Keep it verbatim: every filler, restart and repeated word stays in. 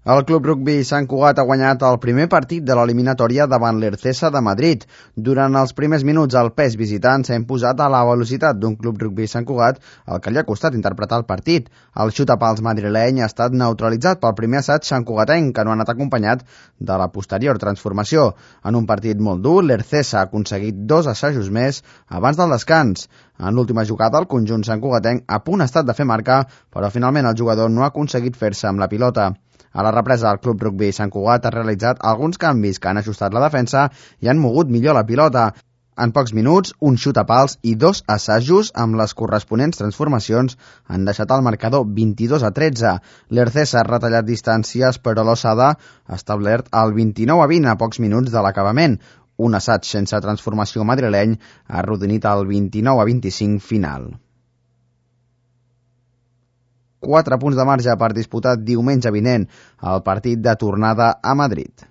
El Club Rugby Sant Cugat ha guanyat el primer partit de l'eliminatòria davant l'Ercesa de Madrid. Durant els primers minuts, el pes visitant s'ha imposat a la velocitat d'un Club Rugby Sant Cugat, el que li ha costat interpretar el partit. El xutapals madrileny ha estat neutralitzat pel primer assaig santcugatenc, que no ha anat acompanyat de la posterior transformació. En un partit molt dur, l'Ercesa ha aconseguit dos assajos més abans del descans. En l'última jugada, el conjunt santcugatenc a punt ha estat de fer marcar, però finalment el jugador no ha aconseguit fer-se amb la pilota. A la represa, el Club Rugby Sant Cugat ha realitzat alguns canvis que han ajustat la defensa i han mogut millor la pilota. En pocs minuts, un xutapals i dos assajos amb les corresponents transformacions han deixat el marcador vint-i-dos a tretze. L'Ercesa ha retallat distàncies, però l'Osada ha establert el vint-i-nou a vint a pocs minuts de l'acabament. Un assaig sense transformació madrileny ha arrodonit el vint-i-nou a vint-i-cinc final. Quatre punts de marge per disputar diumenge vinent el partit de tornada a Madrid.